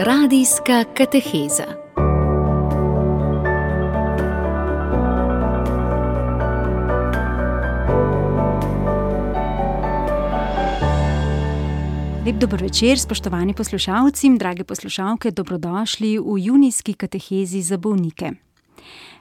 Radijska kateheza. Lep dober večer, spoštovani poslušalci, drage poslušalke, dobrodošli v junijski katehezi za bolnike.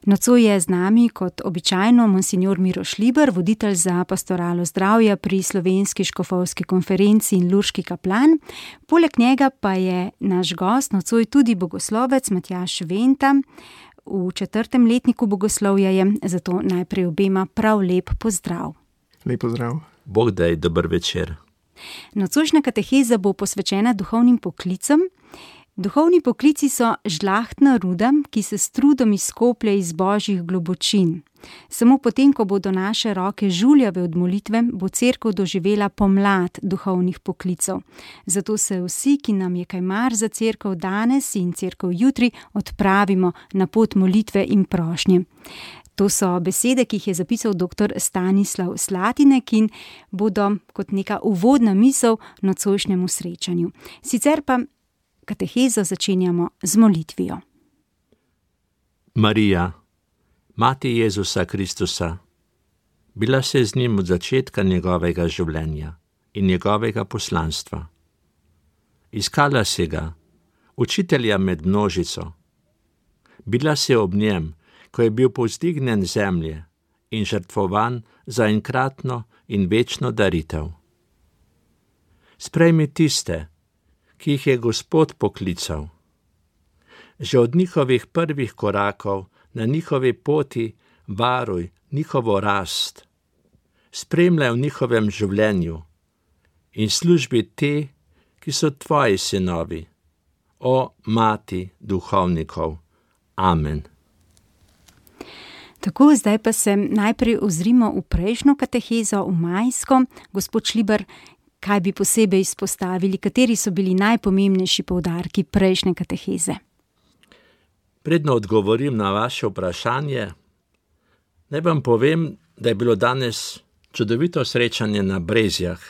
Nocoj je z nami kot običajno monsignor Miroš Liber, voditelj za pastoralo zdravja pri Slovenski škofovski konferenci in lurški kaplan. Poleg njega pa je naš gost nocoj tudi bogoslovec Matjaž Venta. V 4. letniku bogoslovja je, zato najprej obema prav lep pozdrav. Lep pozdrav. Bog daj, dober večer. Nocojšnja kateheza bo posvečena duhovnim poklicem. Duhovni poklici so žlahtna ruda, ki se s trudom izkoplje iz božjih globočin. Samo potem, ko bodo naše roke žuljave od molitve, bo cerkev doživela pomlad duhovnih poklicev. Zato se vsi, ki nam je kaj mar za cerkev danes in cerkev jutri, odpravimo na pot molitve in prošnje. To so besede, ki jih je zapisal dr. Stanislav Slatinek in bodo kot neka uvodna misel nocojšnjemu srečanju. Sicer pa katehezo začenjamo z molitvijo. Marija, mati Jezusa Kristusa, bila se z njim od začetka njegovega življenja in njegovega poslanstva. Iskala si ga, učitelja med množico. Bila si ob njem, ko je bil povzdignjen zemlje in žrtvovan za enkratno in večno daritev. Sprejmi tiste, ki jih je Gospod poklical. Že od njihovih prvih korakov na njihovi poti varuj njihovo rast. Spremljaj v njihovem življenju in službi te, ki so tvoji sinovi. O mati duhovnikov. Amen. Tako, zdaj pa se najprej ozrimo v prejšnjo katehezo, v majsko. Gospod Šliber, kaj bi posebej izpostavili, kateri so bili najpomembnejši poudarki prejšnje kateheze? Predno odgovorim na vaše vprašanje, naj vam povem, da je bilo danes čudovito srečanje na Brezjah.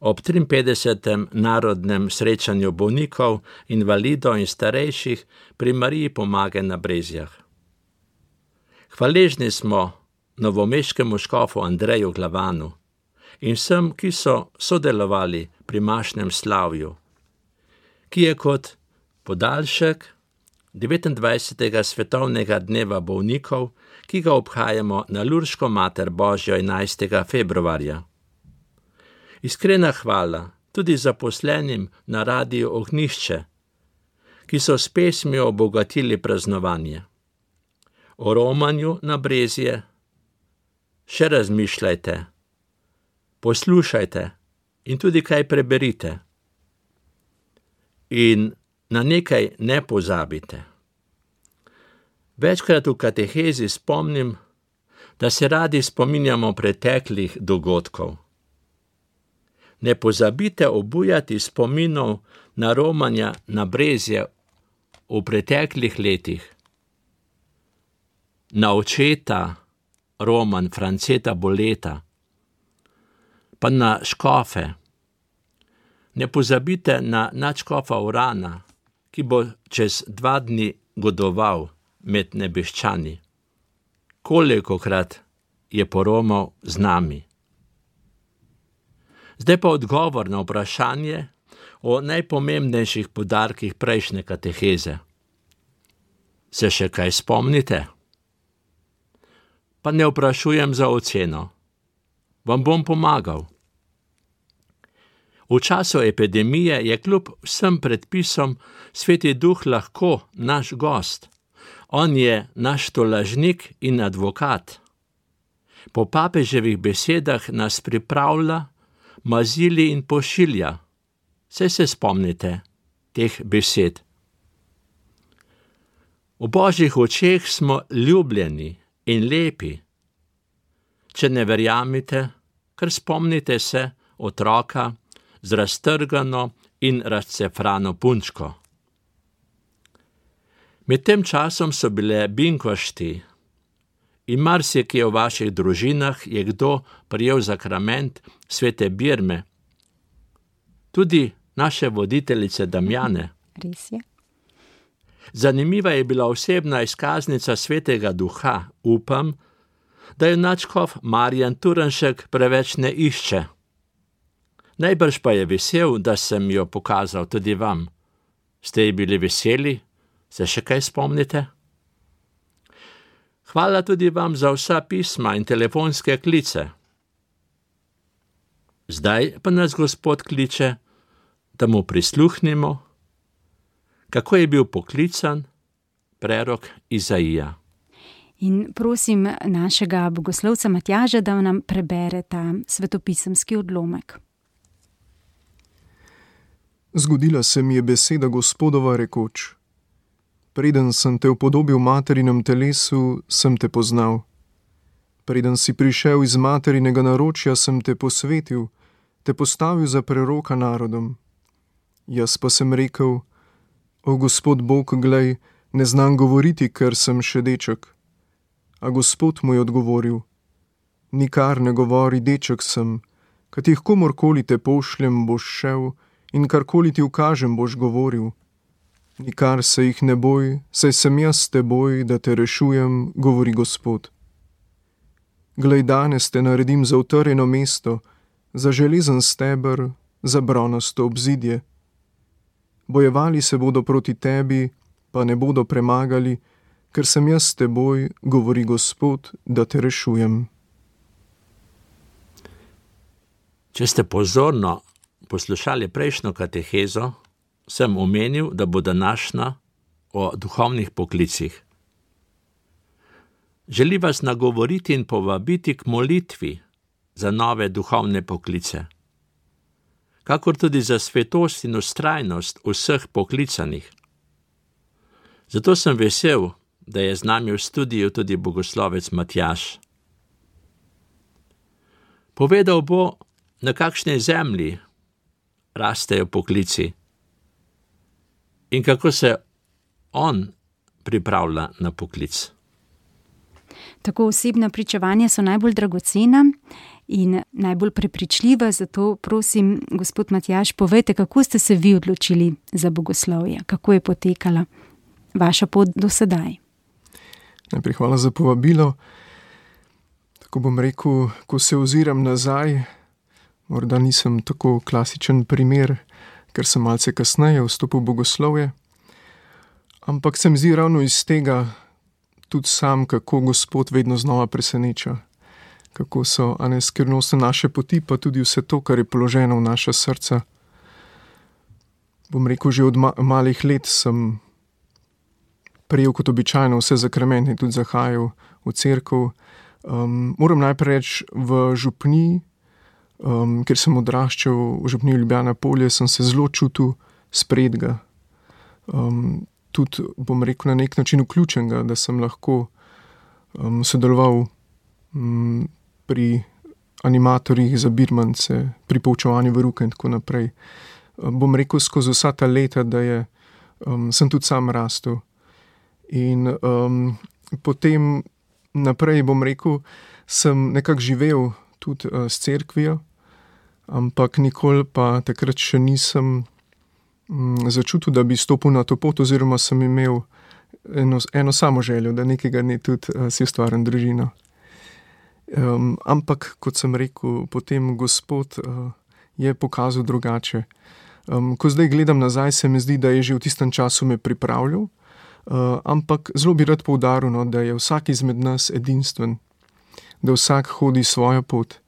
Ob 53. narodnem srečanju bolnikov, invalidov in starejših pri Mariji Pomagaj na Brezjah. Hvaležni smo novomeškemu škofu Andreju Glavanu in vsem, ki so sodelovali pri mašnem slavju, ki je kot podaljšek 29. svetovnega dneva bolnikov, ki ga obhajamo na Lurško mater Božjo 11. februarja. Iskrena hvala tudi zaposlenim na Radiu Ognjišče, ki so s pesmijo obogatili praznovanje. O romanju na Brezje še razmišljajte, poslušajte in tudi kaj preberite. In na nekaj ne pozabite. Večkrat v katehezi spomnim, da se radi spominjamo preteklih dogodkov. Ne pozabite obujati spominov na romanja na Brezje v preteklih letih. Na očeta Roman Franceta Boleta, pa na škofe. Ne pozabite na nadškofa Urana, ki bo čez 2 dni godoval med nebeščani. Kolikokrat je poromal z nami. Zdaj pa odgovor na vprašanje o najpomembnejših poudarkih prejšnje kateheze. Se še kaj spomnite? Pa ne vprašujem za oceno. Vam bom pomagal. V času epidemije je kljub vsem predpisom Sveti Duh lahko naš gost. On je naš tolažnik in advokat. Po papeževih besedah nas pripravlja, mazili in pošilja. Saj se spomnite teh besed. V Božjih očeh smo ljubljeni in lepi. Če ne verjamete, kar spomnite se otroka z raztrgano in razcefrano punčko. Med tem časom so bile binkošti in marsikje v vaših družinah je kdo prijel zakrament svete Birme. Tudi naše voditeljice Damjane, Res je. Zanimiva je bila osebna izkaznica Svetega Duha. Upam, da jo nadškof Marjan Turnšek preveč ne išče. Najbrž pa je vesel, da sem jo pokazal tudi vam. Ste ji bili veseli? Se še kaj spomnite? Hvala tudi vam za vsa pisma in telefonske klice. Zdaj pa nas Gospod kliče, da mu prisluhnimo, kako je bil poklican prerok Izaija. In prosim našega bogoslovca Matjaža, da nam prebere ta svetopisemski odlomek. Zgodila se mi je beseda Gospodova rekoč: Preden sem te upodobil v materinem telesu, sem te poznal. Preden si prišel iz materinega naročja, sem te posvetil, te postavil za preroka narodom. Jaz pa sem rekel: O Gospod Bog, glej, ne znam govoriti, ker sem še deček. A Gospod mu je odgovoril: Nikar ne govori, deček sem, katih komorkoli te pošljem, boš šel, in karkoli ti ukažem, boš govoril. Nikar se jih ne boj, saj sem jaz s teboj, da te rešujem, govori Gospod. Glej, danes te naredim za utrjeno mesto, za železen steber, za bronasto obzidje. Bojevali se bodo proti tebi, pa ne bodo premagali, ker sem jaz s teboj, govori Gospod, da te rešujem. Če ste pozorno poslušali prejšnjo katehezo, sem omenil, da bo današnja o duhovnih poklicih. Želi vas nagovoriti in povabiti k molitvi za nove duhovne poklice, kakor tudi za svetost in vztrajnost vseh poklicanih. Zato sem vesel, da je z nami v studiu tudi bogoslovec Matjaž. Povedal bo, na kakšnej zemlji rastejo poklici in kako se on pripravlja na poklic. Tako osebna pričevanja so najbolj dragocena in najbolj prepričljiva, zato prosim, gospod Matjaž, povejte, kako ste se vi odločili za bogoslovje, kako je potekala vaša pot do sedaj. Najprej hvala za povabilo. Tako bom rekel, ko se oziram nazaj, morda nisem tako klasičen primer, ker sem malce kasneje vstopil v bogoslovje, ampak se mi zdi ravno iz tega tudi sam, kako Gospod vedno znova preseneča, kako so skrivnostne naše poti, pa tudi vse to, kar je položeno v naša srca. Bom rekel, že od malih let sem prejel kot običajno vse zakramente, tudi zahajal v cerkev. Moram najprej reči, v župniji, ker sem odraščal v župniji Ljubljana Polje, sem se zelo čutil spredga. Tudi, bom rekel, na nek način vključenega, da sem lahko sodeloval pri animatorjih za birmance, pri poučevanju veruka in tako naprej. Bom rekel, skozi vsa ta leta, da sem tudi sam rastel. In potem naprej, bom rekel, sem nekako živel tudi s cerkvijo, ampak nikoli pa takrat še nisem začutil, da bi stopil na to pot, oziroma sem imel eno samo željo, da nekega dne tudi si ustvarim družino. Ampak, kot sem rekel, potem Gospod je pokazal drugače. Ko zdaj gledam nazaj, se mi zdi, da je že v tistem času me pripravljal, ampak zelo bi rad poudaril, da je vsak izmed nas edinstven, da vsak hodi svojo pot.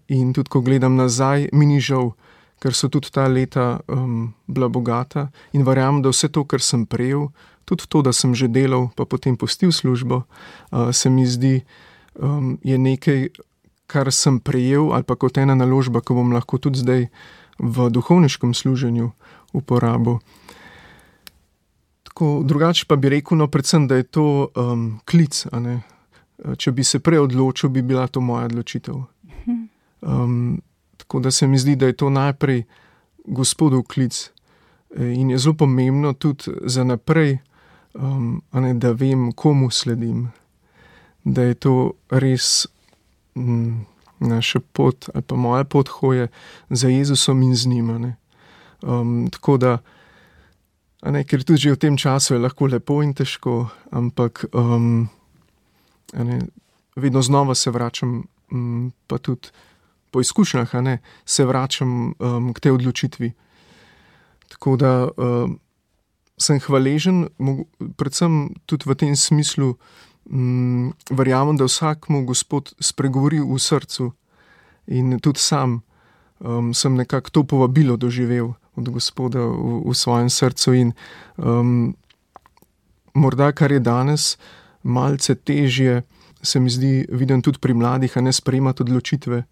In tudi, ko gledam nazaj, mi ni žal, ker so tudi ta leta bila bogata in verjamem, da vse to, kar sem prejel, tudi to, da sem že delal, pa potem pustil službo, se mi zdi, je nekaj, kar sem prejel, ali pa kot ena naložba, ko bom lahko tudi zdaj v duhovniškem služenju uporabil. Tako, drugače pa bi rekel, predvsem, da je to klic, a ne. Če bi se prej odločil, bi bila to moja odločitev. Tako da se mi zdi, da je to najprej Gospodov klic in je zelo pomembno tudi za naprej, da vem, komu sledim, da je to res naša pot ali pa moja pot hoje za Jezusom in z njim. Tako da Ker tudi že v tem času je lahko lepo in težko, ampak vedno znova se vračam, pa tudi po izkušnjah, se vračam k tej odločitvi. Tako da sem hvaležen, predvsem tudi v tem smislu, verjamem, da vsakmu Gospod spregovori v srcu in tudi sam sem nekako to povabilo doživel od Gospoda v svojem srcu in morda, kar je danes malce težje, se mi zdi, vidim tudi pri mladih, sprejemati odločitve.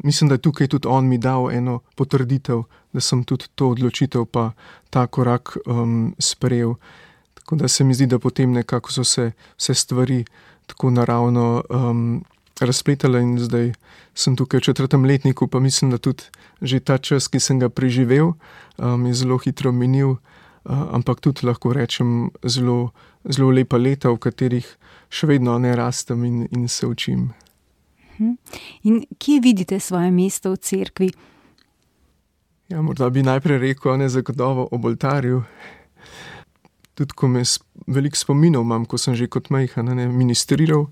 Mislim, da je tukaj tudi on mi dal eno potrditev, da sem tudi to odločitev pa ta korak sprejel. Tako da se mi zdi, da potem nekako so se vse stvari tako naravno razpletale in zdaj sem tukaj v 4. letniku, pa mislim, da tudi že ta čas, ki sem ga preživel, je zelo hitro minil, ampak tudi lahko rečem zelo, zelo lepa leta, v katerih še vedno rastem in se učim. In kje vidite svoje mesto v cerkvi? Ja, morda bi najprej rekel, zagotovo ob oltarju. Tudi ko me veliko spominov imam, ko sem že kot majhen ministriral,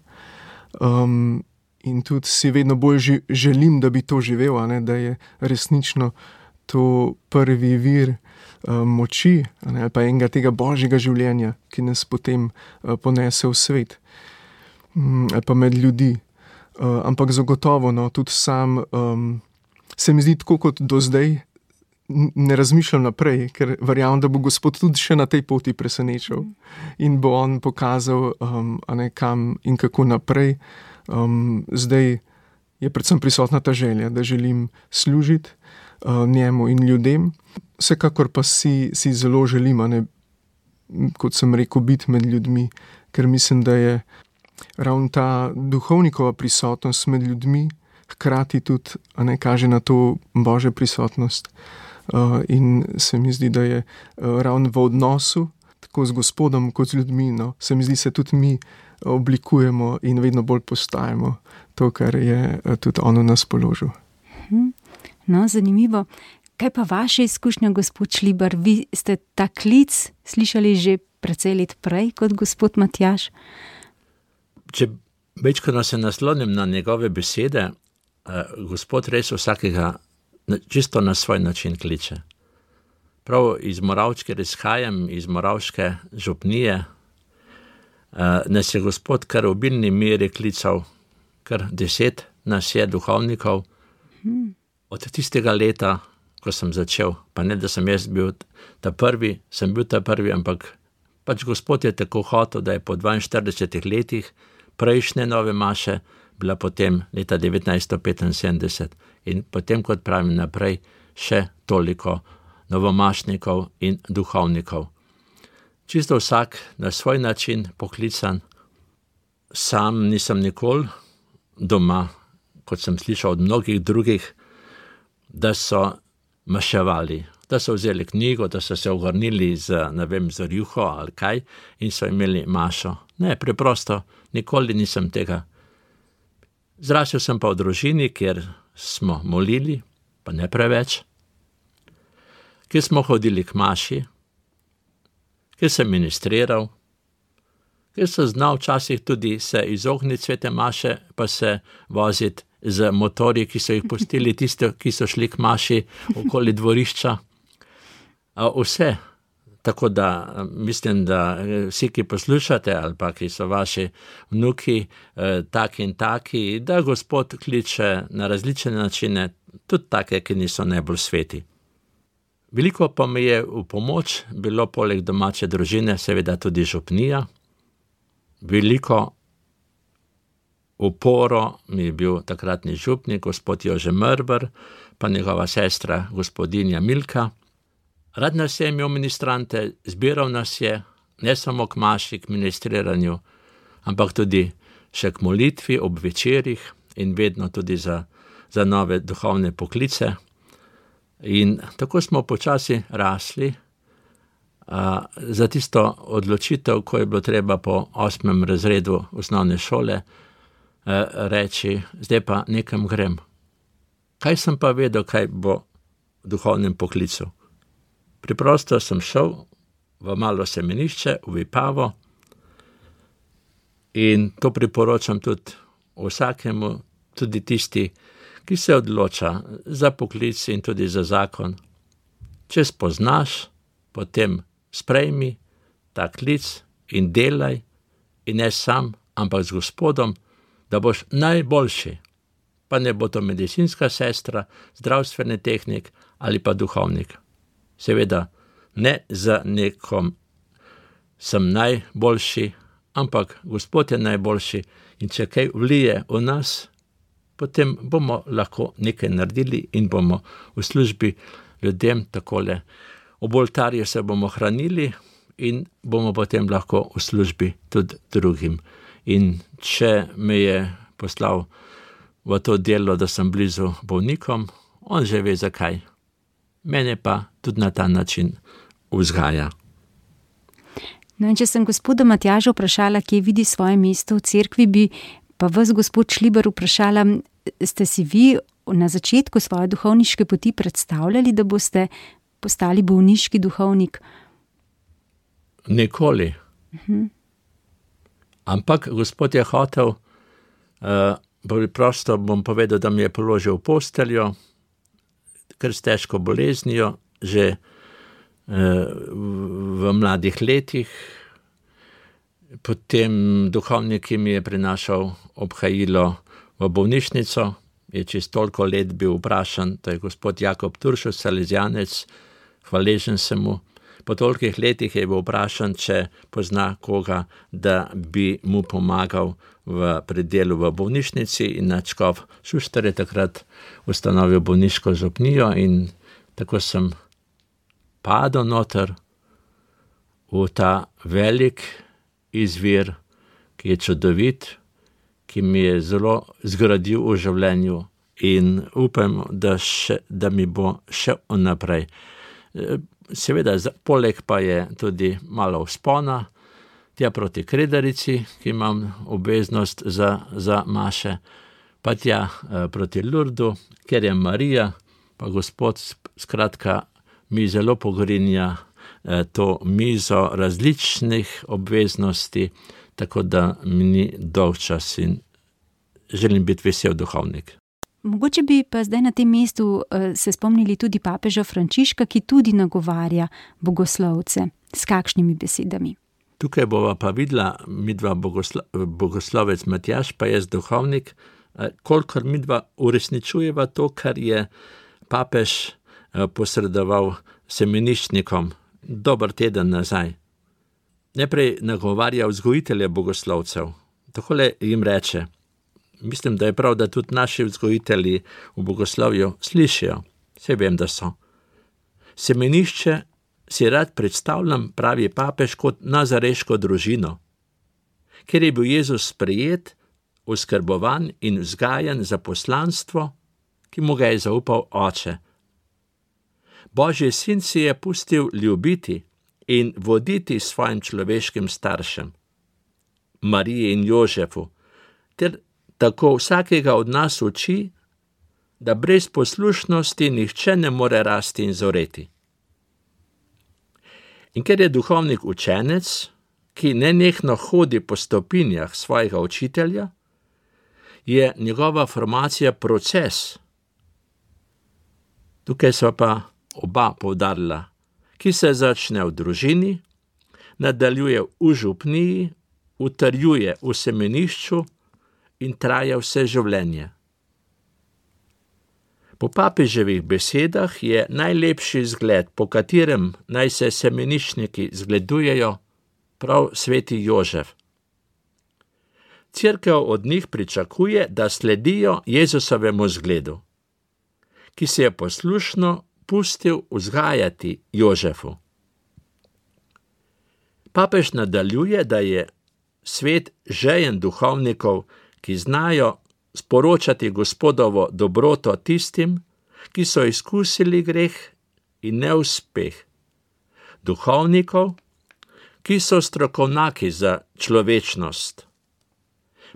in tudi si vedno bolj želim, da bi to živel, da je resnično to prvi vir moči, ali pa enega tega božjega življenja, ki nas potem ponese v svet, ali pa med ljudi. Ampak zagotovo, tudi sam se mi zdi tako kot do zdaj, ne razmišljam naprej, ker verjamem, da bo Gospod tudi še na tej poti presenečal in bo on pokazal, kam in kako naprej. Zdaj je predvsem prisotna ta želja, da želim služiti njemu in ljudem. Vsekakor pa si zelo želim, kot sem rekel, biti med ljudmi, ker mislim, da je ravno ta duhovnikova prisotnost med ljudmi hkrati tudi kaže na to Božjo prisotnost. In se mi zdi, da je ravno v odnosu tako z Gospodom kot z ljudmi, se mi zdi, se tudi mi oblikujemo in vedno bolj postajamo to, kar je tudi on v nas položil. Zanimivo. Kaj pa vaše izkušnje, gospod Šlibar? Vi ste ta klic slišali že precej let prej kot gospod Matjaž? Če večkrat se naslonim na njegove besede, Gospod res vsakega čisto na svoj način kliče. Prav iz Moravčke izhajam, iz Moravške župnije, nas je Gospod kar v obilni meri klical, kar 10 nas je duhovnikov. Od tistega leta, ko sem začel, pa ne, da sem jaz bil ta prvi, ampak pač Gospod je tako hotel, da je po 42 letih prejšnje nove maše bila potem leta 1975 in potem, kot pravim naprej, še toliko novomašnikov in duhovnikov. Čisto vsak na svoj način poklican. Sam nisem nikoli doma, kot sem slišal od mnogih drugih, da so maševali, da so vzeli knjigo, da so se ohrnili z rjuho ali kaj in so imeli mašo. Ne, preprosto, nikoli nisem tega. Zrasel sem pa v družini, kjer smo molili, pa ne preveč, kjer smo hodili k maši, kjer sem ministriral, kjer sem znal včasih tudi se izogniti svete maše, pa se voziti z motorji, ki so jih pustili tiste, ki so šli k maši okoli dvorišča. Vse. Tako da mislim, da vsi, ki poslušate ali pa ki so vaši vnuki taki in taki, da Gospod kliče na različne načine, tudi take, ki niso najbolj sveti. Veliko pa mi je v pomoč bilo poleg domače družine seveda tudi župnija. Veliko uporo mi je bil takratni župnik, gospod Jože Mrber, pa njegova sestra gospodinja Milka. Rad nas je imel ministrante, zbiral nas je, ne samo k maši, k ministriranju, ampak tudi še k molitvi ob večerih in vedno tudi za nove duhovne poklice. In tako smo počasi rasli za tisto odločitev, ko je bilo treba po 8. razredu osnovne šole reči, zdaj pa nekam grem. Kaj sem pa vedel, kaj bo v duhovnem poklicu? Preprosto sem šel v malo semenišče, v Vipavo, in to priporočam tudi vsakemu, tudi tisti, ki se odloča za poklic in tudi za zakon. Če spoznaš, potem sprejmi ta klic in delaj, in ne sam, ampak z Gospodom, da boš najboljši. Pa ne bo to medicinska sestra, zdravstveni tehnik ali pa duhovnik. Seveda, ne za nekom sem najboljši, ampak Gospod je najboljši, in če kaj vlije v nas, potem bomo lahko nekaj naredili in bomo v službi ljudem takole. Ob oltarju se bomo hranili in bomo potem lahko v službi tudi drugim. In če me je poslal v to delo, da sem blizu bolnikom, on že ve zakaj. Mene pa tudi na ta način vzgaja. No, in če sem gospoda Matjaža vprašala, kje vidi svoje mesto v cerkvi, bi pa vas, gospod Šlibar, vprašala, ste si vi na začetku svoje duhovniške poti predstavljali, da boste postali bolniški duhovnik? Nikoli. Ampak Gospod je hotel, preprosto bom povedal, da mi je položil posteljo, ker s težko boleznijo, že v mladih letih. Potem duhovnik, ki mi je prinašal obhajilo v bolnišnico, je čez toliko let bil vprašan, to je gospod Jakob Turšus, Salezijanec, hvaležen sem mu. Po tolikih letih je bil vprašan, če pozna koga, da bi mu pomagal v predelu v bolnišnici, in nadškof Šuštar je takrat ustanovil bolniško župnijo in tako sem padel noter v ta velik izvir, ki je čudovit, ki mi je zelo zgradil v življenju in upam, da mi bo še naprej. Seveda, poleg pa je tudi malo vzpona, tja proti Kredarici, ki imam obveznost za maše, pa tja proti Lurdu, ker je Marija, pa Gospod skratka mi zelo pogrinja to mizo različnih obveznosti, tako da mi ni dolgčas in želim biti vesel duhovnik. Mogoče bi pa zdaj na tem mestu se spomnili tudi papeža Frančiška, ki tudi nagovarja bogoslovce. S kakšnimi besedami? Tukaj bova pa videla midva bogoslovec Matjaž, pa jaz duhovnik, kolikor midva uresničujeva to, kar je papež posredoval semeniščnikom dober teden nazaj. Najprej nagovarja vzgojitelje bogoslovcev. Takole jim reče, mislim, da je prav, da tudi naši vzgojitelji v bogoslovju slišijo. Saj vem, da so. Semenišče si rad predstavljam, pravi papež, kot nazareško družino, ker je bil Jezus sprejet, oskrbovan in vzgajan za poslanstvo, ki mu ga je zaupal Oče. Božji sin si je pustil ljubiti in voditi svojim človeškim staršem, Mariji in Jožefu, ter tako vsakega od nas uči, da brez poslušnosti nihče ne more rasti in zoreti. In ker je duhovnik učenec, ki nenehno hodi po stopinjah svojega učitelja, je njegova formacija proces. Tukaj so pa oba poudarila, ki se začne v družini, nadaljuje v župniji, utrjuje v semenišču in traja vse življenje. Po papeževih besedah je najlepši zgled, po katerem naj se semeniščniki zgledujejo, prav sveti Jožef. Cerkev od njih pričakuje, da sledijo Jezusovemu zgledu, ki se je poslušno pustil vzgajati Jožefu. Papež nadaljuje, da je svet žejen duhovnikov, ki znajo sporočati Gospodovo dobroto tistim, ki so izkusili greh in neuspeh. Duhovnikov, ki so strokovnjaki za človečnost.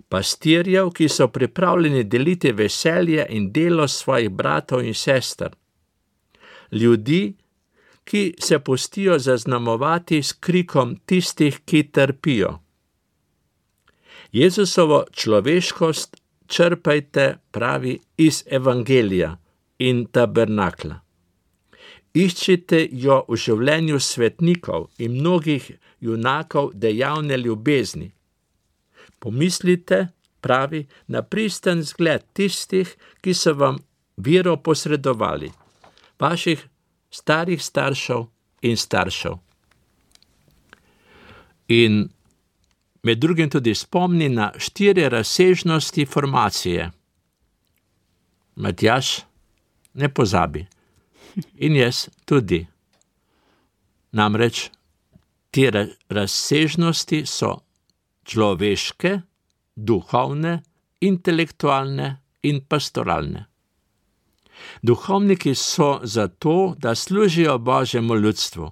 Pastirjev, ki so pripravljeni deliti veselje in delo svojih bratov in sester. Ljudi, ki se pustijo zaznamovati s krikom tistih, ki trpijo. Jezusovo človeškost črpajte, pravi, iz evangelija in tabernakla. Iščite jo v življenju svetnikov in mnogih junakov dejavne ljubezni. Pomislite, pravi, na pristen zgled tistih, ki so vam vero posredovali, vaših starih staršev in staršev. In med drugim tudi spomni na 4 razsežnosti formacije. Matjaž, ne pozabi. In jaz tudi. Namreč te razsežnosti so človeške, duhovne, intelektualne in pastoralne. Duhovniki so zato, da služijo Božjemu ljudstvu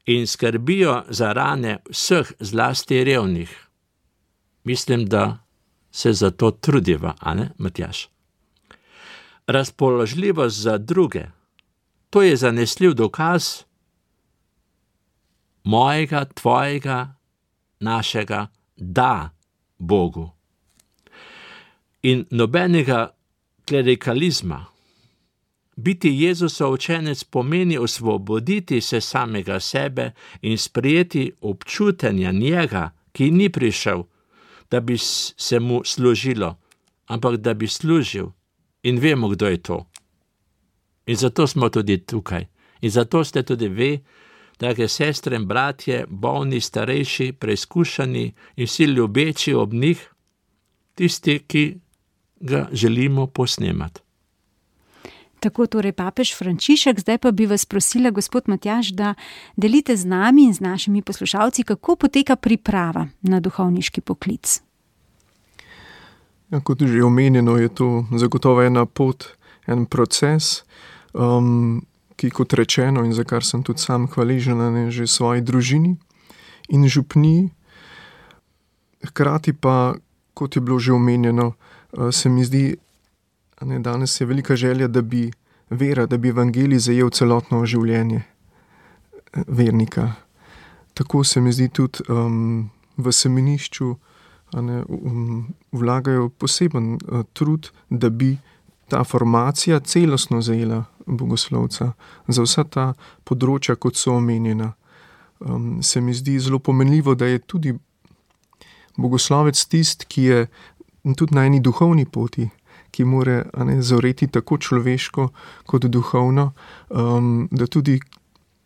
in skrbijo za rane vseh, zlasti revnih. Mislim, da se za to trudiva, a ne, Matjaž? Razpoložljivost za druge, to je zanesljiv dokaz mojega, tvojega, našega da Bogu. In nobenega klerikalizma. Biti Jezusov učenec pomeni osvoboditi se samega sebe in sprejeti občutenja njega, ki ni prišel, da bi se mu služilo, ampak da bi služil. In vemo, kdo je to. In zato smo tudi tukaj. In zato ste tudi vi, drage sestre in bratje, bolni, starejši, preizkušani in vsi ljubeči ob njih, tisti, ki ga želimo posnemati. Tako torej papež Frančišek, zdaj pa bi vas prosila, gospod Matjaž, da delite z nami in z našimi poslušalci, kako poteka priprava na duhovniški poklic. Ja, kot že omenjeno, je to zagotovo ena pot, en proces, ki, kot rečeno, in za kar sem tudi sam hvaležen že svoji družini in župniji. Hkrati pa, kot je bilo že omenjeno, se mi zdi, danes je velika želja, da bi vera, da bi evangelij zajel celotno življenje vernika. Tako se mi zdi tudi v semenišču vlagajo poseben trud, da bi ta formacija celostno zajela bogoslovca za vsa ta področja, kot so omenjena. Se mi zdi zelo pomenljivo, da je tudi bogoslovec tist, ki je tudi na eni duhovni poti, ki more zoreti tako človeško kot duhovno, da tudi,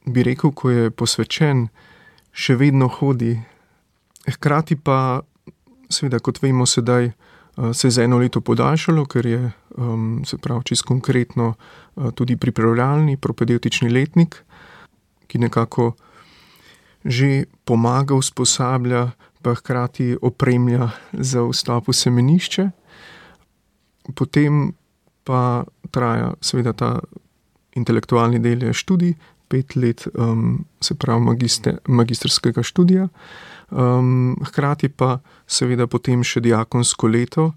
bi rekel, ko je posvečen, še vedno hodi. Hkrati pa, seveda, kot vemo sedaj, se je za 1 leto podaljšalo, ker je, se pravi, čisto konkretno tudi pripravljalni propedevtični letnik, ki nekako že pomaga, usposablja, pa hkrati opremlja za vstop v semenišče. Potem pa traja seveda ta intelektualni del je študij, 5 let, se pravi magistrskega študija. Hkrati pa seveda potem še diakonsko leto,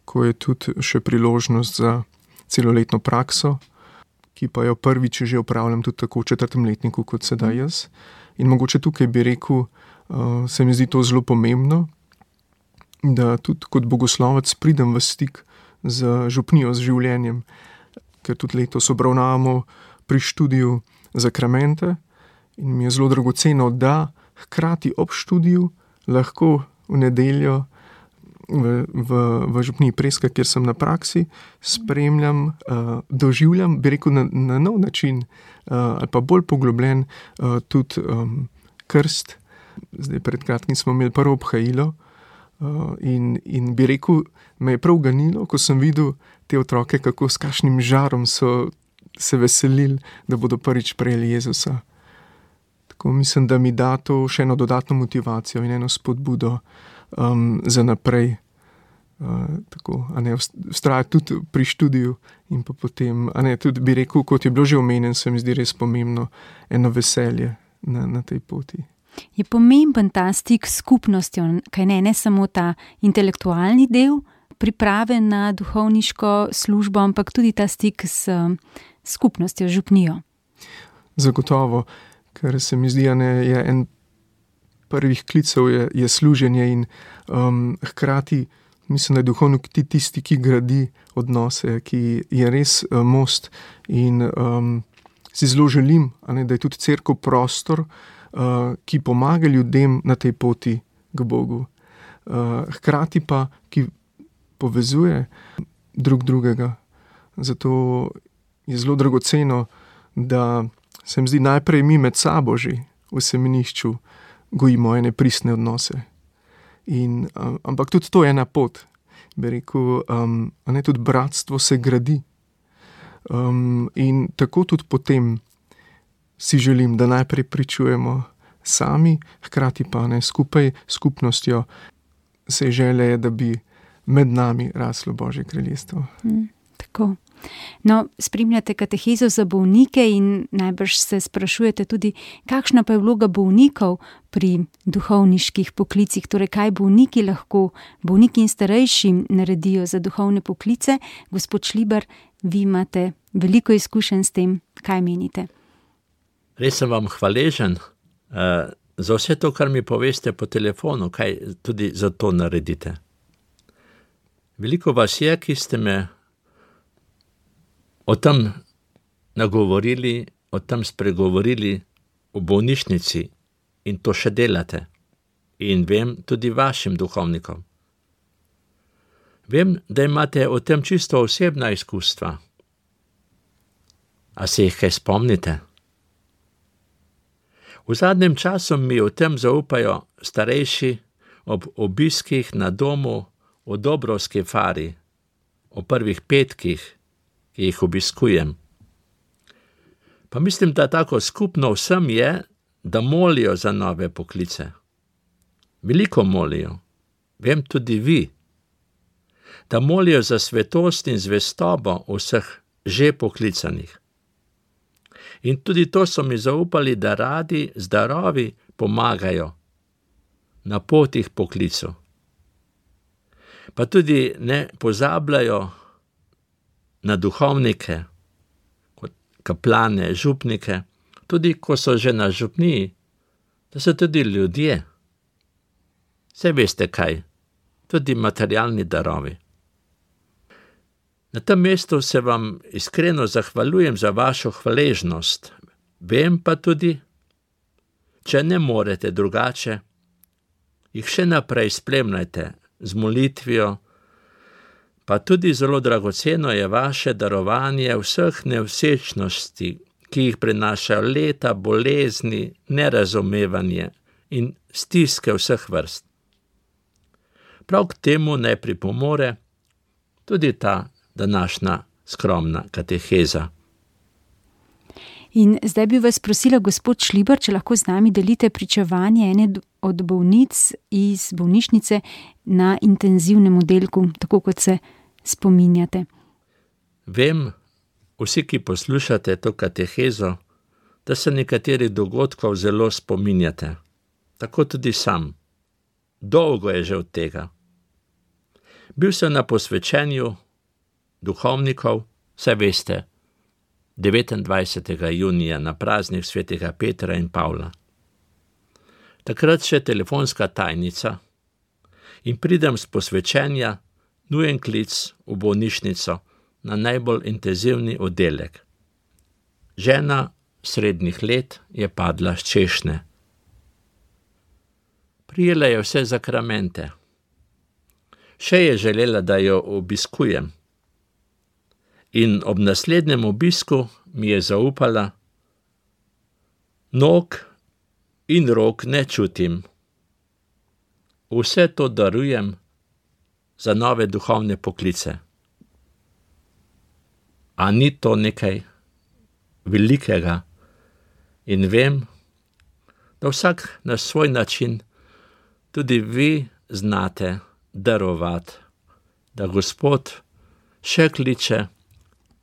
ko je tudi še priložnost za celoletno prakso, ki pa jo prvič že opravljam tudi tako v 4. letniku kot sedaj jaz. In mogoče tukaj bi rekel, se mi zdi to zelo pomembno, da tudi kot bogoslovec pridem v stik z župnijo, z življenjem, ker tudi letos obravnavamo pri študiju zakramente in mi je zelo dragoceno, da hkrati ob študiju lahko v nedeljo v župniji Preska, kjer sem na praksi, spremljam, doživljam, bi rekel, na nov način ali pa bolj poglobljen tudi krst. Zdaj pred kratkim smo imeli prvo obhajilo in bi rekel, me je prav ganilo, ko sem videl te otroke, kako s kakšnim žarom so se veselili, da bodo prvič prejeli Jezusa. Tako mislim, da mi da to še eno dodatno motivacijo in eno spodbudo za naprej. Tako, vztrajati tudi pri študiju in pa potem, tudi bi rekel, kot je bilo že omenjen, se mi zdi res pomembno, eno veselje na tej poti. Je pomemben ta stik s skupnostjo, kaj ne samo ta intelektualni del priprave na duhovniško službo, ampak tudi ta stik s skupnostjo, župnijo. Zagotovo, ker se mi zdi, je en prvih klicev je služenje in hkrati mislim, da je duhovnik tisti, ki gradi odnose, ki je res most in si zelo želim, da je tudi cerkev prostor, ki pomaga ljudem na tej poti k Bogu. Hkrati pa, ki povezuje drug drugega. Zato je zelo dragoceno, da se mi zdi najprej mi med sabo že v semenišču gojimo ene pristne odnose. Ampak tudi to je ena pot. Bi rekel, tudi bratstvo se gradi. In tako tudi potem si želim, da najprej pričujemo sami, hkrati pa skupaj s skupnostjo se želje, da bi med nami raslo Božje kraljestvo. Tako. No, spremljate katehezo za bolnike in najbrž se sprašujete tudi, kakšna pa je vloga bolnikov pri duhovniških poklicih, torej kaj bolniki lahko, bolniki in starejši naredijo za duhovne poklice. Gospod Šlibar, vi imate veliko izkušenj s tem, kaj menite? Res sem vam hvaležen za vse to, kar mi poveste po telefonu, kaj tudi za to naredite. Veliko vas je, ki ste me o tem nagovorili, o tem spregovorili v bolnišnici in to še delate. In vem tudi vašim duhovnikom. Vem, da imate o tem čisto osebna izkustva. A se jih kaj spomnite? V zadnjem času mi o tem zaupajo starejši ob obiskih na domu v Dobrovski fari, o prvih petkih, ki jih obiskujem. Pa mislim, da tako skupno vsem je, da molijo za nove poklice. Veliko molijo, vem tudi vi, da molijo za svetost in zvestobo vseh že poklicanih. In tudi to so mi zaupali, da radi zdravi pomagajo na potih poklicu. Pa tudi ne pozabljajo na duhovnike, kot kaplane, župnike, tudi ko so že na župniji, da so tudi ljudje. Saj veste kaj, tudi materialni darovi. Na tem mestu se vam iskreno zahvaljujem za vašo hvaležnost. Vem pa tudi, če ne morete drugače, jih še naprej spremljajte z molitvijo, pa tudi zelo dragoceno je vaše darovanje vseh nevsečnosti, ki jih prinašajo leta, bolezni, nerazumevanje in stiske vseh vrst. Prav k temu naj pripomore tudi ta današnja skromna kateheza. In zdaj bi vas prosila, gospod Šlibar, če lahko z nami delite pričevanje ene od bolnic iz bolnišnice na intenzivnem oddelku, tako kot se spominjate. Vem, vsi, ki poslušate to katehezo, da se nekaterih dogodkov zelo spominjate. Tako tudi sam. Dolgo je že od tega. Bil sem na posvečenju duhovnikov, saj veste, 29. junija na praznik svetega Petra in Pavla. Takrat še telefonska tajnica in pridem s posvečenja, nujen klic v bolnišnico na najbolj intenzivni oddelek. Žena srednjih let je padla s češne. Prijela je vse zakramente. Še je želela, da jo obiskujem. In ob naslednjem obisku mi je zaupala: nog in rok ne čutim. Vse to darujem za nove duhovne poklice. A ni to nekaj velikega? In vem, da vsak na svoj način tudi vi znate darovati, da Gospod še kliče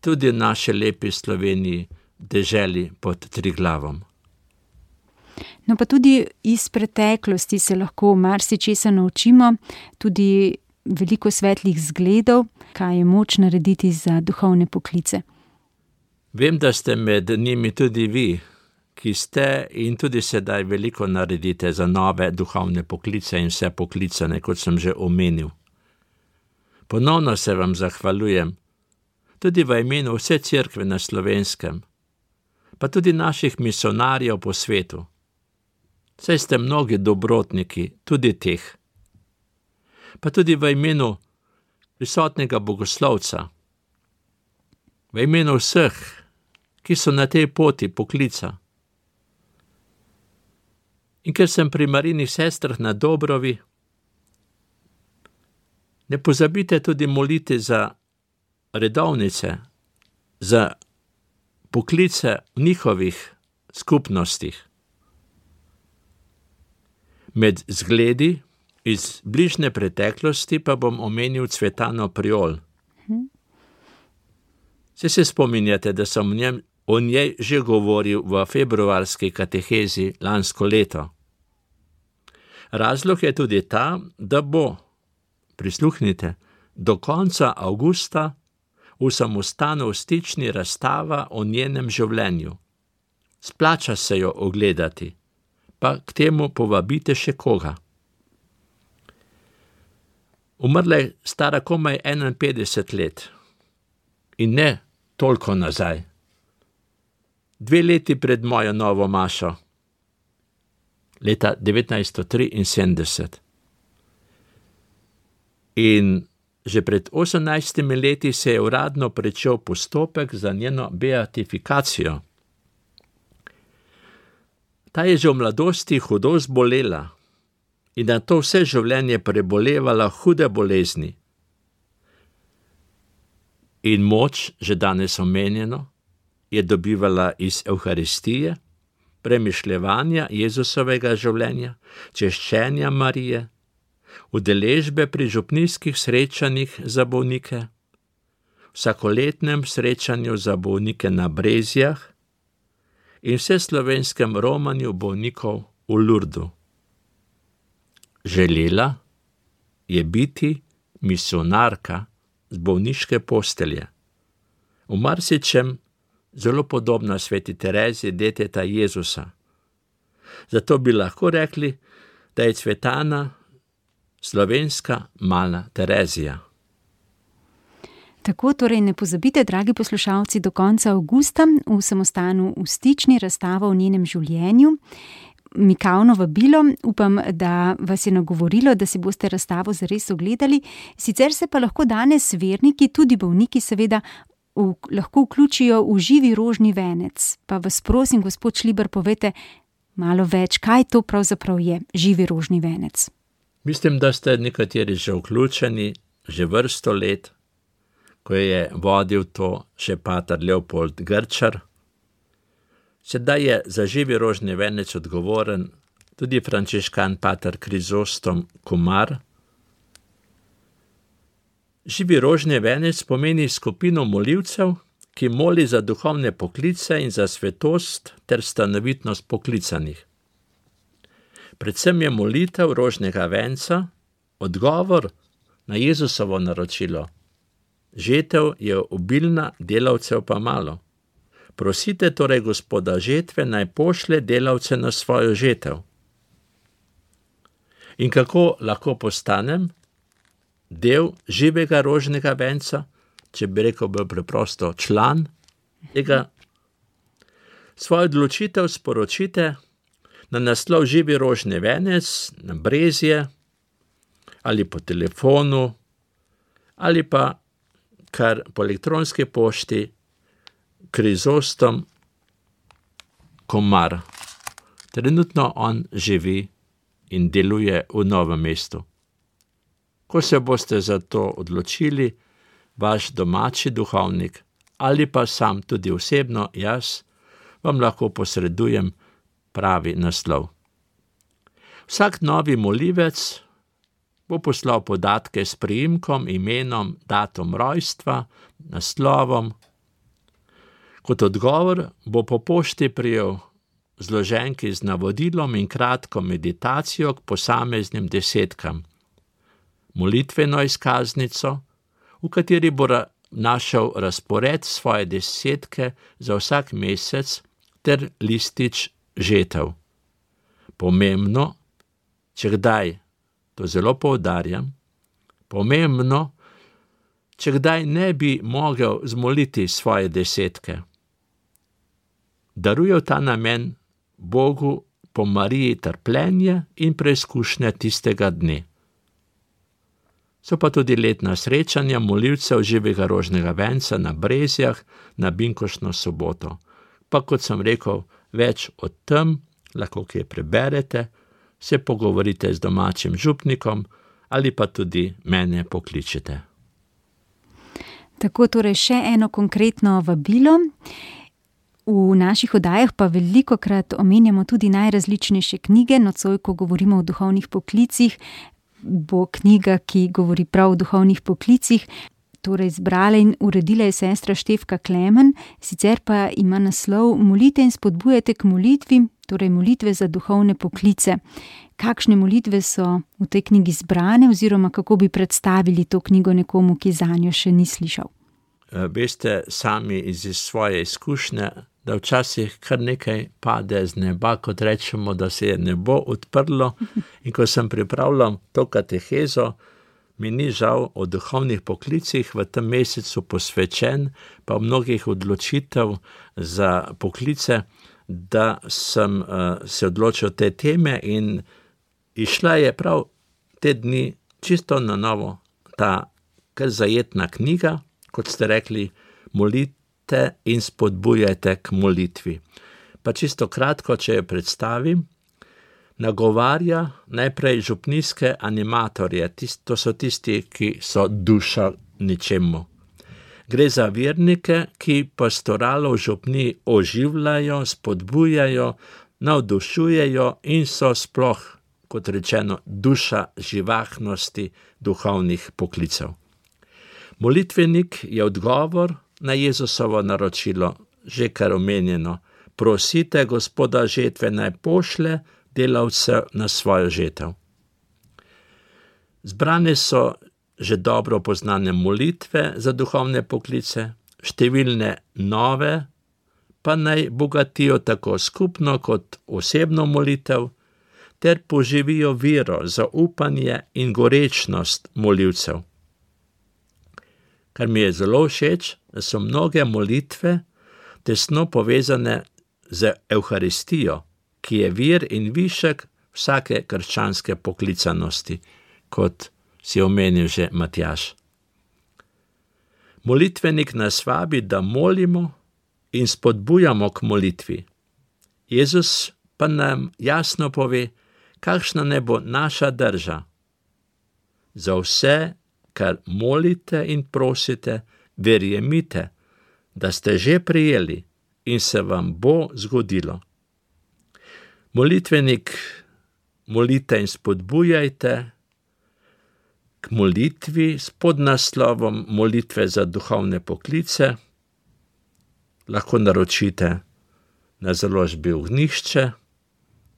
tudi v naši lepi Sloveniji, deželi pod Triglavom. No pa tudi iz preteklosti se lahko marsičesa naučimo, tudi veliko svetlih zgledov, kaj je moč narediti za duhovne poklice. Vem, da ste med njimi tudi vi, ki ste in tudi sedaj veliko naredite za nove duhovne poklice in vse poklicane, kot sem že omenil. Ponovno se vam zahvaljujem, tudi v imenu vse cerkve na Slovenskem, pa tudi naših misionarjev po svetu. Saj ste mnogi dobrotniki, tudi teh. Pa tudi v imenu prisotnega bogoslovca, v imenu vseh, ki so na tej poti poklica. In ker sem pri Marijinih sestrah na Dobrovi, ne pozabite tudi moliti za redovnice, za poklice v njihovih skupnostih. Med zgledi iz bližnje preteklosti pa bom omenil Cvetano Priol. Se spominjate, da sem o njej že govoril v februarski katehezi lansko leto. Razlog je tudi ta, da bo, prisluhnite, do konca avgusta v samostanu v Stični razstava o njenem življenju. Splača se jo ogledati, pa k temu povabite še koga. Umrla je stara komaj 51 let in ne toliko nazaj. 2 leti pred mojo novo mašo, leta 1973. In že pred 18 leti se je uradno pričel postopek za njeno beatifikacijo. Ta je že v mladosti hudo zbolela in na to vse življenje prebolevala hude bolezni. In moč, že danes omenjeno, je dobivala iz Evharistije, premišljevanja Jezusovega življenja, češčenja Marije, udeležbe pri župnijskih srečanjih za bolnike, vsakoletnem srečanju za bolnike na Brezjah in vseslovenskem romanju bolnikov v Lurdu. Želela je biti misionarka z bolniške postelje. V marsičem zelo podobna sveti Tereziji, deteta Jezusa. Zato bi lahko rekli, da je Cvetana slovenska mala Terezija. Tako torej ne pozabite, dragi poslušalci, do konca avgusta v samostanu v Stični razstava o njenem življenju. Mikavno vabilo, upam, da vas je nagovorilo, da si boste razstavo zares ogledali. Sicer se pa lahko danes verniki, tudi bolniki seveda, lahko vključijo v živi rožni venec. Pa vas prosim, gospod Šlibar, povejte malo več, kaj to pravzaprav je živi rožni venec. Mislim, da ste nekateri že vključeni, že vrsto let, ko je vodil to še pater Leopold Grčar. Sedaj je za živi rožni venec odgovoren tudi frančiškan pater Krizostom Komar. Živi rožni venec pomeni skupino molivcev, ki moli za duhovne poklice in za svetost ter stanovitnost poklicanih. Predvsem je molitev rožnega venca odgovor na Jezusovo naročilo. Žetev je obilna, delavcev pa malo. Prosite torej Gospoda žetve, naj pošlje delavce na svojo žetev. In kako lahko postanem del živega rožnega venca, če bi rekel bolj preprosto član tega? Svojo odločitev sporočite na naslov Živi rožni venec, na Brezje, ali po telefonu, ali pa kar po elektronski pošti Krizostom Komar. Trenutno on živi in deluje v Novem mestu. Ko se boste za to odločili, vaš domači duhovnik ali pa sam tudi osebno jaz, vam lahko posredujem pravi naslov. Vsak novi molivec bo poslal podatke s priimkom, imenom, datum rojstva, naslovom. Kot odgovor bo po pošti prijel zloženki z navodilom in kratko meditacijo k posameznim desetkam, molitveno izkaznico, v kateri bo našel razpored svoje desetke za vsak mesec ter listič žetev. Pomembno, če kdaj, to zelo poudarjam, pomembno, če kdaj ne bi mogel zmoliti svoje desetke. Darujev ta namen Bogu po Mariji trpljenje in preizkušnje tistega dne. So pa tudi letna srečanja molilcev živega rožnega venca na Brezjah na binkoštno soboto. Pa kot sem rekel, več o tem lahko kje preberete, se pogovorite z domačim župnikom ali pa tudi mene pokličete. Tako torej še eno konkretno vabilo. V naših oddajah pa velikokrat omenjamo tudi najrazličnejše knjige. Nocoj, ko govorimo o duhovnih poklicih, bo knjiga, ki govori prav o duhovnih poklicih, torej zbrala in uredila je sestra Štefka Klemen, sicer pa ima naslov Molite in spodbujajte k molitvi, torej molitve za duhovne poklice. Kakšne molitve so v tej knjigi zbrane oziroma kako bi predstavili to knjigo nekomu, ki zanjo še ni slišal? Veste sami iz svoje izkušnje, da včasih kar nekaj pade z neba, kot rečemo, da se je nebo odprlo. In ko sem pripravljal to katehezo, mi ni žal o duhovnih poklicih v tem mesecu posvečen, pa mnogih odločitev za poklice, da sem se odločil te teme in išla je prav te dni čisto na novo ta kar zajetna knjiga, kot ste rekli, molite in spodbujajte k molitvi. Pa čisto kratko, če jo predstavim, nagovarja najprej župnijske animatorje, to so tisti, ki so duša ničemu. Gre za vernike, ki pastoralo v župniji oživljajo, spodbujajo, navdušujejo in so sploh, kot rečeno, duša živahnosti duhovnih poklicev. Molitvenik je odgovor na Jezusovo naročilo, že kar omenjeno. Prosite Gospoda žetve, naj pošlje delavce na svojo žetev. Zbrane so že dobro poznane molitve za duhovne poklice, številne nove, pa naj bogatijo tako skupno kot osebno molitev, ter poživijo vero, zaupanje in gorečnost molivcev. Kar mi je zelo všeč, da so mnoge molitve tesno povezane z Evharistijo, ki je vir in višek vsake krščanske poklicanosti, kot si omenil že Matjaž. Molitvenik nas vabi, da molimo in spodbujamo k molitvi. Jezus pa nam jasno pove, kakšna naj bo naša drža. Za vse, kar molite in prosite, verjemite, da ste že prejeli in se vam bo zgodilo. Molitvenik, molite in spodbujajte k molitvi s podnaslovom Molitve za duhovne poklice. Lahko naročite na založbi Ognjišče,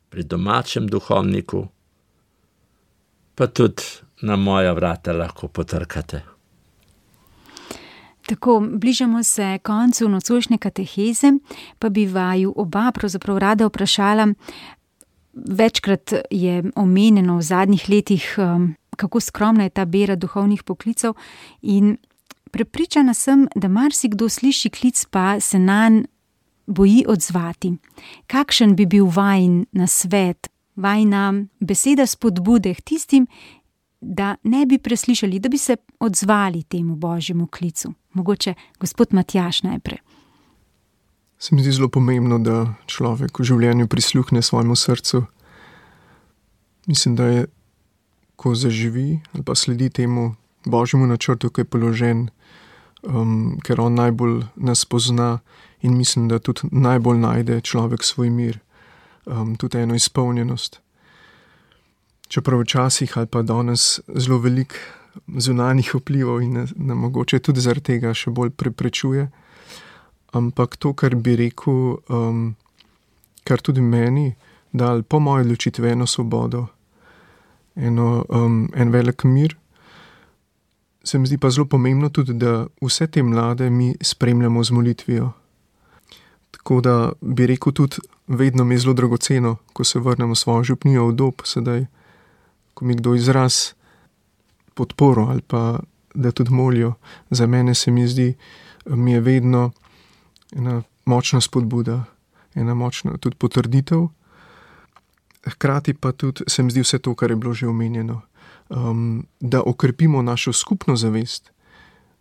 pri domačem duhovniku, pa tudi na moja vrata lahko potrkate. Tako, bližamo se koncu nocojšnje kateheze, pa bi vaju oba pravzaprav rada vprašala. Večkrat je omenjeno v zadnjih letih, kako skromna je ta bera duhovnih poklicev in prepričana sem, da marsikdo sliši klic, pa se nanj boji odzvati. Kakšen bi bil vajin nasvet, vajina beseda spodbude k tistim, da ne bi preslišali, da bi se odzvali temu Božjemu klicu? Mogoče gospod Matjaž najprej. Se mi zdi zelo pomembno, da človek v življenju prisluhne svojemu srcu. Mislim, da je, ko zaživi ali pa sledi temu Božjemu načrtu, ki je položen, ker on najbolj nas pozna in mislim, da tudi najbolj najde človek svoj mir, tudi eno izpolnjenost. Čeprav včasih ali pa danes zelo veliko zunanjih vplivov in nam mogoče tudi zaradi tega še bolj preprečuje. Ampak to, kar bi rekel, kar tudi meni dal po moji odločitvi eno svobodo, en velik mir, se mi zdi pa zelo pomembno tudi, da vse te mlade mi spremljamo z molitvijo. Tako da bi rekel tudi, vedno mi je zelo dragoceno, ko se vrnem v svojo župnijo v Dob, sedaj, ko mi kdo izraz podporo ali pa da tudi molijo. Za mene se mi zdi, mi je vedno ena močna spodbuda, ena močna tudi potrditev. Hkrati pa tudi se mi zdi vse to, kar je bilo že omenjeno, da okrepimo našo skupno zavest,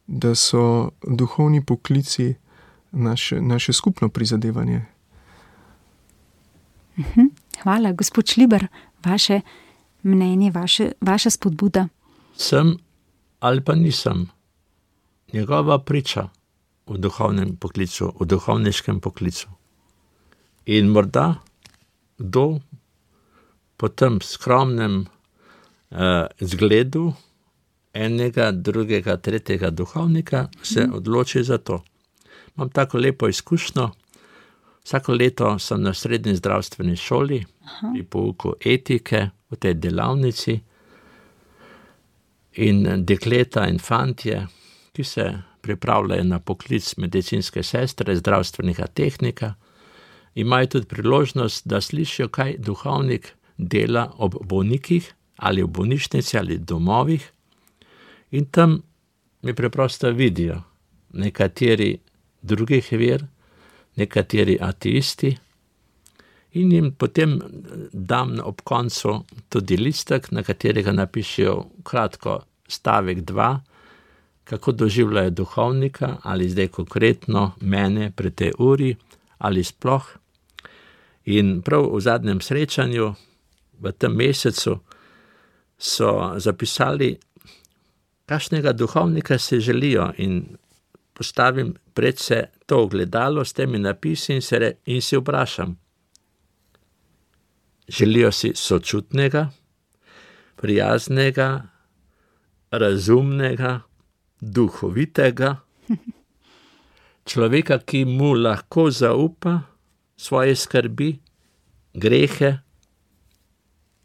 da so duhovni poklici naše skupno prizadevanje. Hvala, gospod Šlibar, vaše mnenje, vaša spodbuda. Sem ali pa nisem njegova priča v duhovnem poklicu, v duhovniškem poklicu. In morda kdo po tem skromnem zgledu enega, drugega, tretjega duhovnika se odloči za to. Imam tako lepo izkušnjo. Vsako leto sem na srednji zdravstveni šoli pri pouku etike v tej delavnici in dekleta in fantje, ki se pripravljajo na poklic medicinske sestre, zdravstvenega tehnika, imajo tudi priložnost, da slišijo, kaj duhovnik dela ob bolnikih ali v bolnišnici ali domovih, in tam mi preprosto vidijo nekateri drugih ver, nekateri ateisti, in jim potem dam ob koncu tudi listek, na katerega napišejo kratko stavek 2, kako doživljajo duhovnika, ali zdaj konkretno mene pri tej uri, ali sploh. In prav v zadnjem srečanju v tem mesecu so zapisali, kakšnega duhovnika se želijo, in postavim pred se to ogledalo s temi napisi in se vprašam, želijo si sočutnega, prijaznega, razumnega, duhovitega, človeka, ki mu lahko zaupa svoje skrbi, grehe,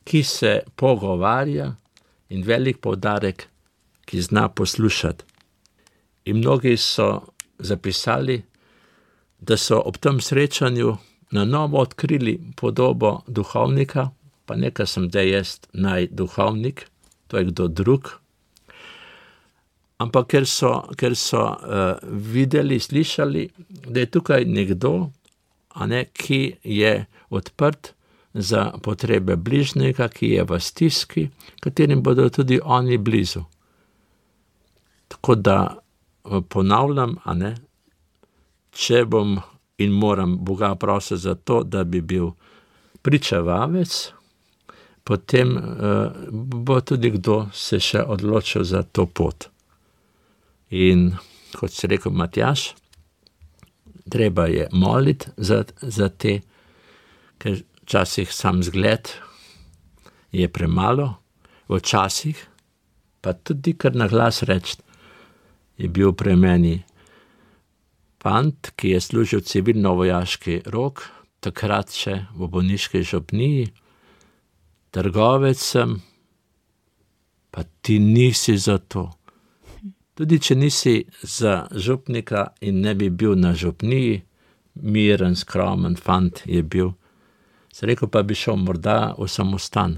ki se pogovarja, in velik poudarek, ki zna poslušati. In mnogi so zapisali, da so ob tem srečanju na novo odkrili podobo duhovnika, pa nekaj sem da jaz duhovnik, to je kdo drug. Ampak ker so videli, slišali, da je tukaj nekdo, ki je odprt za potrebe bližnjega, ki je v stiski, katerim bodo tudi oni blizu. Tako da ponavljam, če bom in moram Boga prositi za to, da bi bil pričevavec, potem bo tudi kdo se še odločil za to pot. In kot si rekel Matjaž, treba je moliti za te, ker včasih sam zgled je premalo, včasih pa tudi kar na glas reči, je bil pri meni fant, ki je služil civilno-vojaški rok, takrat še v bolniški župniji, trgovec sem, pa ti nisi za to. Tudi če nisi za župnika in ne bi bil na župniji, miren, skromen fant je bil. Se rekel, pa bi šel morda v samostan.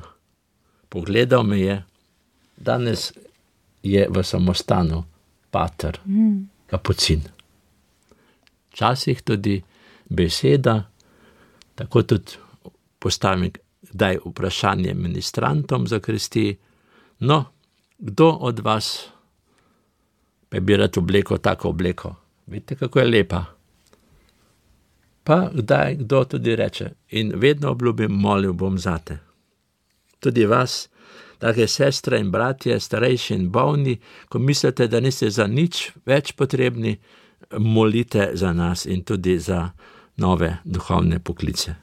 Pogledal me je, danes je v samostanu pater, kapucin. Včasih tudi beseda, tako tudi postavim kdaj vprašanje ministrantom za krsti, no, kdo od vas pa bi rad obleko tako obleko? Vidite, kako je lepa. Pa kdaj kdo tudi reče, in vedno obljubim, molil bom zate. Tudi vas, drage sestre in bratje, starejši in bolni, ko mislite, da niste za nič več potrebni, molite za nas in tudi za nove duhovne poklice.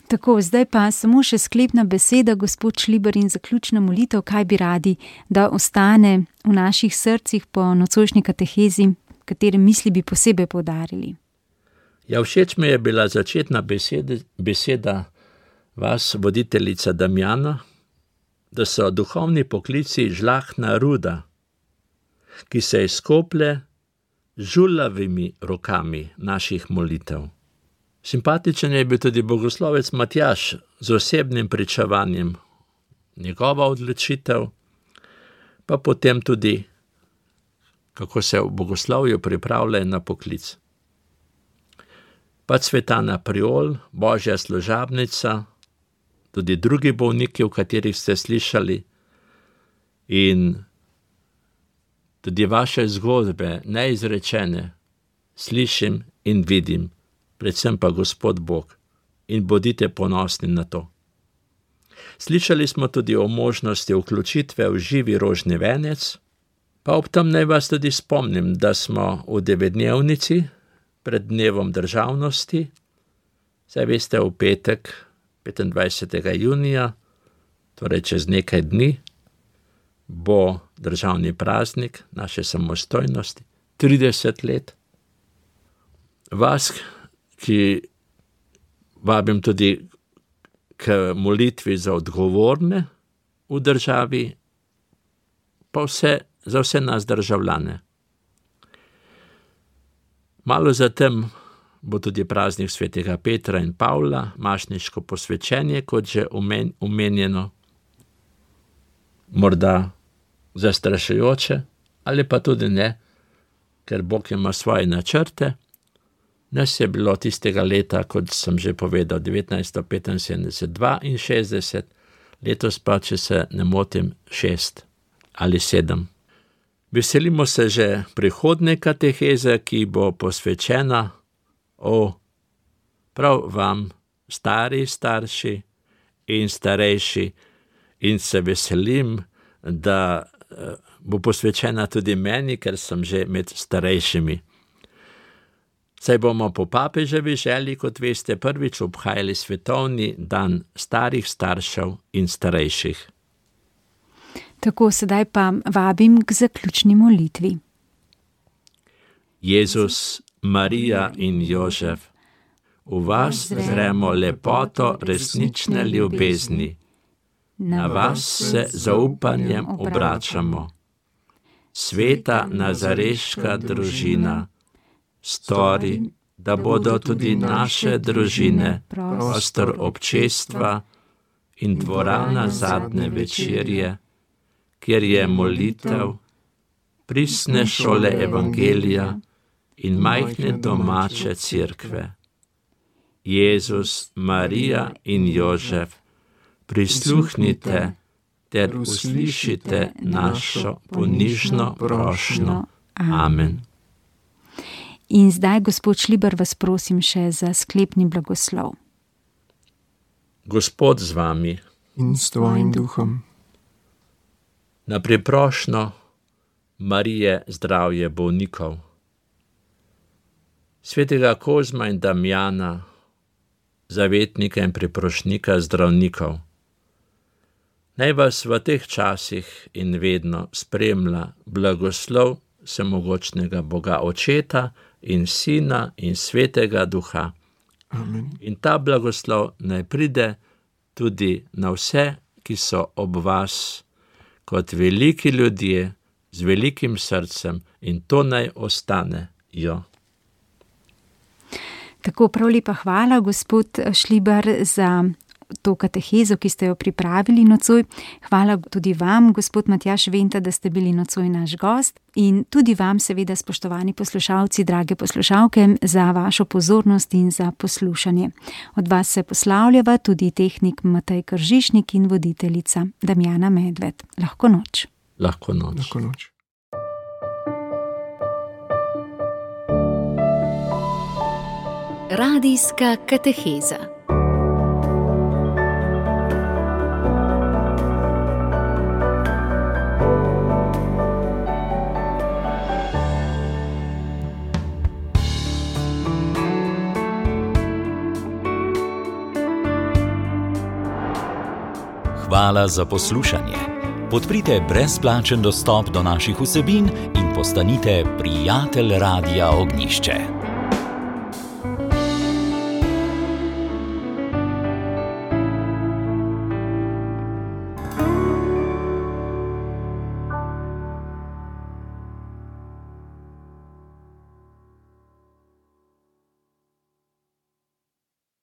Tako, zdaj pa samo še sklepna beseda, gospod Šlibar, in zaključna molitev, kaj bi radi, da ostane v naših srcih po nocojšnji katehezi, katere misli bi posebej poudarili. Ja, všeč mi je bila začetna beseda vas, voditeljica Damjana, da so duhovni poklici žlahtna ruda, ki se izkoplje z žulavimi rokami naših molitev. Simpatičen je bil tudi bogoslovec Matjaž z osebnim pričevanjem, njegova odločitev, pa potem tudi, kako se v bogoslovju pripravljajo na poklic. Pa Cvetana Priol, božja služabnica, tudi drugi bolniki, o katerih ste slišali, in tudi vaše zgodbe, neizrečene, slišim in vidim, predvsem pa Gospod Bog, in bodite ponosni na to. Slišali smo tudi o možnosti vključitve v živi rožni venec, pa ob tem naj vas tudi spomnim, da smo v 9-dnevnici pred dnevom državnosti, saj veste, v petek, 25. junija, torej čez nekaj dni, bo državni praznik naše samostojnosti, 30 let. Vas, ki vabim tudi k molitvi za odgovorne v državi, pa za vse nas državljane. Malo zatem bo tudi praznik svetega Petra in Pavla, mašniško posvečenje, kot že omenjeno, morda zastrašujoče, ali pa tudi ne, ker Bog ima svoje načrte. Nas je bilo tistega leta, kot sem že povedal, 1975, 62, letos pa, če se ne motim, 6 ali 7. Veselimo se že prihodnje kateheze, ki bo posvečena prav vam, stari starši in starejši, in se veselim, da bo posvečena tudi meni, ker sem že med starejšimi. Saj bomo po papeževi želji, kot veste, prvič obhajali svetovni dan starih staršev in starejših. Tako, sedaj pa vabim k zaključni molitvi. Jezus, Marija in Jožef, v vas zremo lepoto resnične ljubezni. Na vas se zaupanjem obračamo. Sveta nazareška družina, stori, da bodo tudi naše družine prostor občestva in dvorana zadnje večerje, kjer je molitev, pristne šole evangelija in majhne domače cerkve. Jezus, Marija in Jožef, prisluhnite ter uslišite našo ponižno prošnjo. Amen. In zdaj, gospod Šlibar, vas prosim še za sklepni blagoslov. Gospod z vami in s tvojim duhom. Na priprošnjo Marije zdravje bolnikov, svetega Kozma in Damjana, zavetnika in priprošnika zdravnikov, naj vas v teh časih in vedno spremlja blagoslov vsemogočnega Boga Očeta in Sina in Svetega Duha. Amen. In ta blagoslov naj pride tudi na vse, ki so ob vas, kot veliki ljudje z velikim srcem, in to naj ostanejo. Tako, prav lepa hvala, gospod Šlibar, za to katehezo, ki ste jo pripravili nocoj. Hvala tudi vam, gospod Matjaž Venta, da ste bili nocoj naš gost, in tudi vam, seveda, spoštovani poslušalci, drage poslušalke, za vašo pozornost in za poslušanje. Od vas se poslavljava tudi tehnik Matej Kržišnik in voditeljica Damjana Medved. Lahko noč. Lahko noč. Lahko noč. Radijska kateheza. Hvala za poslušanje. Podprite brezplačen dostop do naših vsebin in postanite prijatelj Radia Ognjišče.